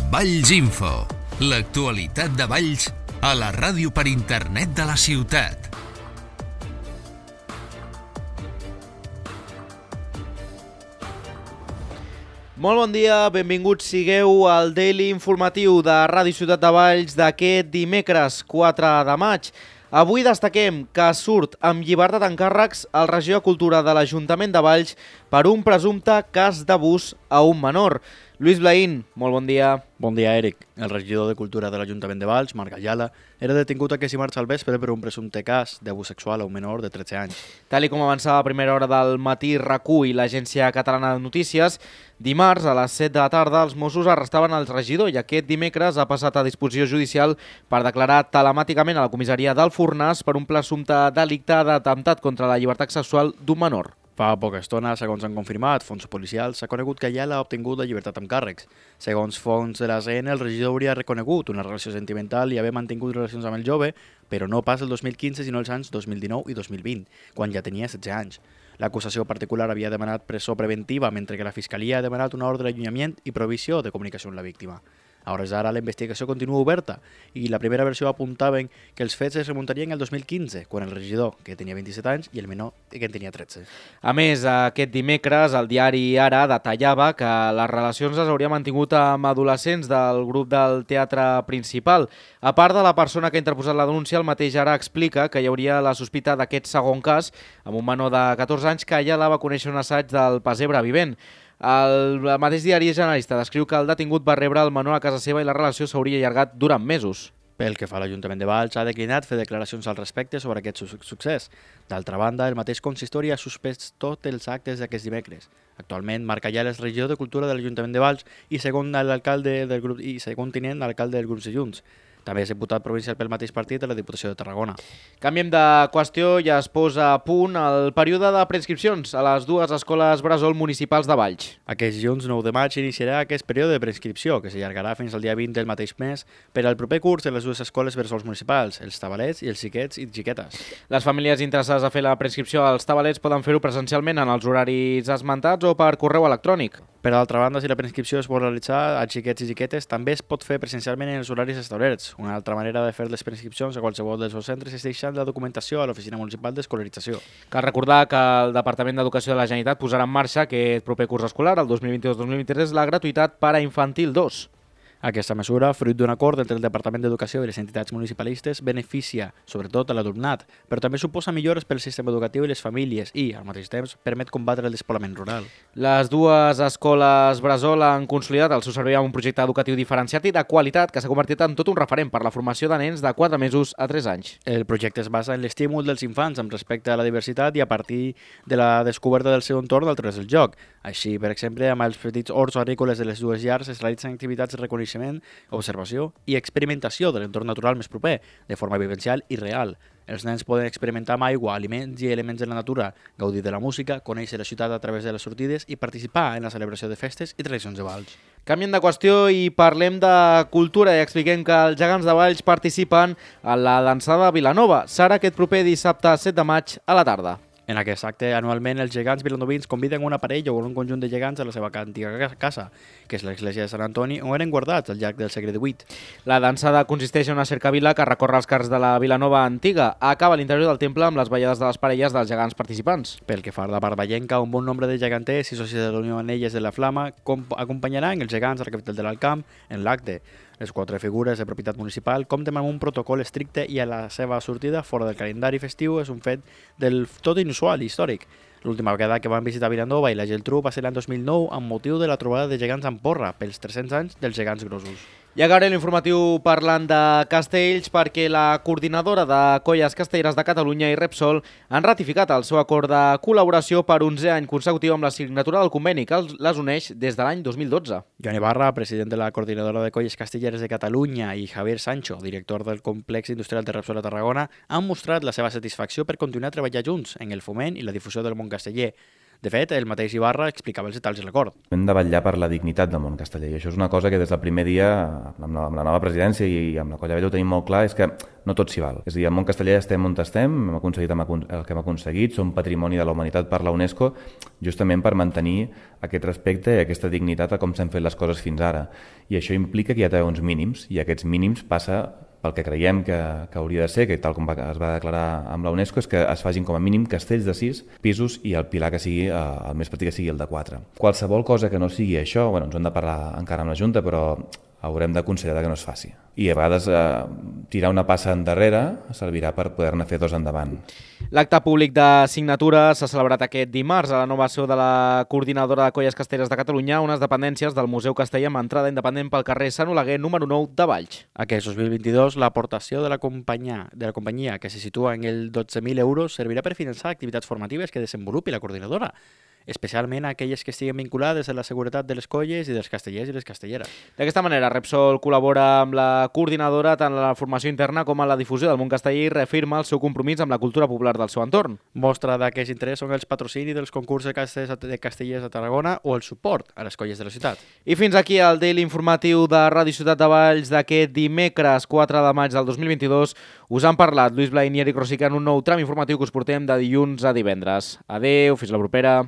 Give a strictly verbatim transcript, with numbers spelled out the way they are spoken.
Valls Info, l'actualitat de Valls a la ràdio per internet de la ciutat. Molt bon dia, benvinguts sigueu al Daily Informatiu de Ràdio Ciutat de Valls d'aquest dimecres quatre de maig. Avui destaquem que surt amb llibertat d'encàrrecs el regidor de Cultura de l'Ajuntament de Valls per un presumpte cas d'abús a un menor. Lluís Blaín, molt bon dia. Bon dia, Eric. El regidor de Cultura de l'Ajuntament de Valls, Marc Ayala, era detingut aquest dimarts al vespre per un presumpte cas d'abús sexual a un menor de tretze anys. Tal i com avançava a primera hora del matí RAC1 i l'Agència Catalana de Notícies, dimarts a les set de la tarda els Mossos arrestaven el regidor i aquest dimecres ha passat a disposició judicial per declarar telemàticament a la comissaria del Fornàs per un presumpte delicte d'atemptat contra la llibertat sexual d'un menor. Fa poca estona, segons han confirmat fonts policials, s'ha conegut que Ayala ha obtingut la llibertat amb càrrecs. Segons fonts de l'A C N, el regidor hauria reconegut una relació sentimental i haver mantingut relacions amb el jove, però no pas el dos mil quinze, sinó els anys dos mil dinou i dos mil vint, quan ja tenia setze anys. L'acusació particular havia demanat presó preventiva, mentre que la Fiscalia ha demanat una ordre d'allunyament i prohibició de comunicació amb la víctima. A hores d'ara, la investigació continua oberta i la primera versió apuntaven que els fets es remuntarien el dos mil quinze, quan el regidor, que tenia vint-i-set anys, i el menor, que en tenia tretze. A més, aquest dimecres, el diari Ara detallava que les relacions les hauria mantingut amb adolescents del grup del teatre principal. A part de la persona que ha interposat la denúncia, el mateix Ara explica que hi hauria la sospita d'aquest segon cas amb un menor de catorze anys que ella la va conèixer un assaig del Pessebre Vivent. El mateix diari Generalista descriu que el detingut va rebre el menor a casa seva i la relació s'hauria allargat durant mesos. Pel que fa a l'Ajuntament de Valls, ha declinat fer declaracions al respecte sobre aquest succés. D'altra banda, el mateix consistori ha suspès tots els actes d'aquest dimecres. Actualment, Marc Ayala és regidor de Cultura de l'Ajuntament de Valls i segon l'alcalde del grup i segon tinent alcalde del grup de Junts. També és diputat provincial pel mateix partit de la Diputació de Tarragona. Canviem de qüestió i es posa a punt el període de preinscripcions a les dues escoles bressol municipals de Valls. Aquest dilluns nou de maig iniciarà aquest període de preinscripció, que s'allargarà fins al dia vint del mateix mes per al proper curs de les dues escoles bressols municipals, els Tabalets i els xiquets i xiquetes. Les famílies interessades a fer la preinscripció als Tabalets poden fer-ho presencialment en els horaris esmentats o per correu electrònic. Per altra banda, si la preinscripció es vol realitzar a xiquets i xiquetes, també es pot fer presencialment en els horaris establerts. Una altra manera de fer les preinscripcions a qualsevol dels seus centres és deixant la documentació a l'Oficina Municipal d'Escolarització. Cal recordar que el Departament d'Educació de la Generalitat posarà en marxa aquest proper curs escolar, el dos mil vint-i-dos dos mil vint-i-tres, la gratuïtat per a infantil dos. Aquesta mesura, fruit d'un acord entre el Departament d'Educació i les entitats municipalistes, beneficia sobretot a l'alumnat, però també suposa millores pel sistema educatiu i les famílies i, al mateix temps, permet combatre el despoblament rural. Les dues escoles bressol han consolidat el seu servei amb un projecte educatiu diferenciat i de qualitat que s'ha convertit en tot un referent per la formació de nens de quatre mesos a tres anys. El projecte es basa en l'estímul dels infants amb respecte a la diversitat i a partir de la descoberta del seu entorn a través del joc. Així, per exemple, amb els petits horts agrícoles de les dues llars es realitzen activitats de reconeixement, observació i experimentació de l'entorn natural més proper, de forma vivencial i real. Els nens poden experimentar amb aigua, aliments i elements de la natura, gaudir de la música, conèixer la ciutat a través de les sortides i participar en la celebració de festes i tradicions de Valls. Canviem de qüestió i parlem de cultura i expliquem que els gegants de Valls participen a la dansada Vilanova. Serà aquest proper dissabte set de maig a la tarda. En aquest acte, anualment, els gegants vilanovins conviden una parella o un conjunt de gegants a la seva antiga casa, que és l'església de Sant Antoni, on eren guardats al llarg del segle divuit. La dansada consisteix en una cercavila que recorre els carrers de la Vilanova antiga. Acaba a l'interior del temple amb les ballades de les parelles dels gegants participants. Pel que fa a la part vallenca, un bon nombre de geganters i socis de la Unió Anelles de la Flama acompanyaran els gegants a la capital de l'Alt Camp en l'acte. Les quatre figures de propietat municipal compten amb un protocol estricte i a la seva sortida fora del calendari festiu és un fet del tot inusual i històric. L'última vegada que van visitar Vilanova i la Geltrú va ser l'any dos mil nou amb motiu de la trobada de gegants amb porra pels tres-cents anys dels gegants grossos. I acabaré l'informatiu parlant de castells perquè la coordinadora de colles castelleres de Catalunya i Repsol han ratificat el seu acord de col·laboració per onzè any consecutiu amb la signatura del conveni que les uneix des de l'any dos mil dotze. Joan Ibarra, president de la coordinadora de colles castelleres de Catalunya, i Javier Sancho, director del complex industrial de Repsol a Tarragona, han mostrat la seva satisfacció per continuar treballant junts en el foment i la difusió del món casteller. De fet, el mateix Ibarra explicava els detalls del l'acord. Hem de vetllar per la dignitat del món casteller i això és una cosa que des del primer dia, amb la, amb la nova presidència i amb la Colla Vella ho tenim molt clar, és que no tot s'hi val. És a dir, el món casteller estem on estem, hem aconseguit el que hem aconseguit, som patrimoni de la humanitat per la UNESCO, justament per mantenir aquest respecte i aquesta dignitat a com s'han fet les coses fins ara. I això implica que hi ha uns mínims, i aquests mínims passa pel que creiem que, que hauria de ser, que tal com va, es va declarar amb la UNESCO, és que es facin com a mínim castells de sis pisos i el pilar que sigui, eh, el més petit que sigui el de quatre. Qualsevol cosa que no sigui això, bueno, ens hem de parlar encara amb la Junta, però haurem de considerar que no es faci. I a vegades eh, tirar una passa endarrere servirà per poder-ne fer dos endavant. L'acte públic de signatura s'ha celebrat aquest dimarts a la nova seu de la Coordinadora de Colles Castelleres de Catalunya, unes dependències del Museu Casteller amb entrada independent pel carrer Sant Oleguer número nou de Valls. Aquest dos mil vint-i-dos, l'aportació de la companyia, de la companyia que se situa en el dotze mil euros, servirà per finançar activitats formatives que desenvolupi la coordinadora, especialment aquelles que estiguen vinculades a la seguretat de les colles i dels castellers i les castelleres. D'aquesta manera, Repsol col·labora amb la coordinadora tant en la formació interna com en la difusió del món casteller i reafirma el seu compromís amb la cultura popular del seu entorn. Mostra d'aquest interès són els patrocinis dels concursos de castellers de castellers a Tarragona o el suport a les colles de la ciutat. I fins aquí el Daily informatiu de Ràdio Ciutat de Valls d'aquest dimecres quatre de maig del dos mil vint-i-dos. Us han parlat Lluís Blain i Eric Rosica en un nou tram informatiu que us portem de dilluns a divendres. Adeu, fins la propera.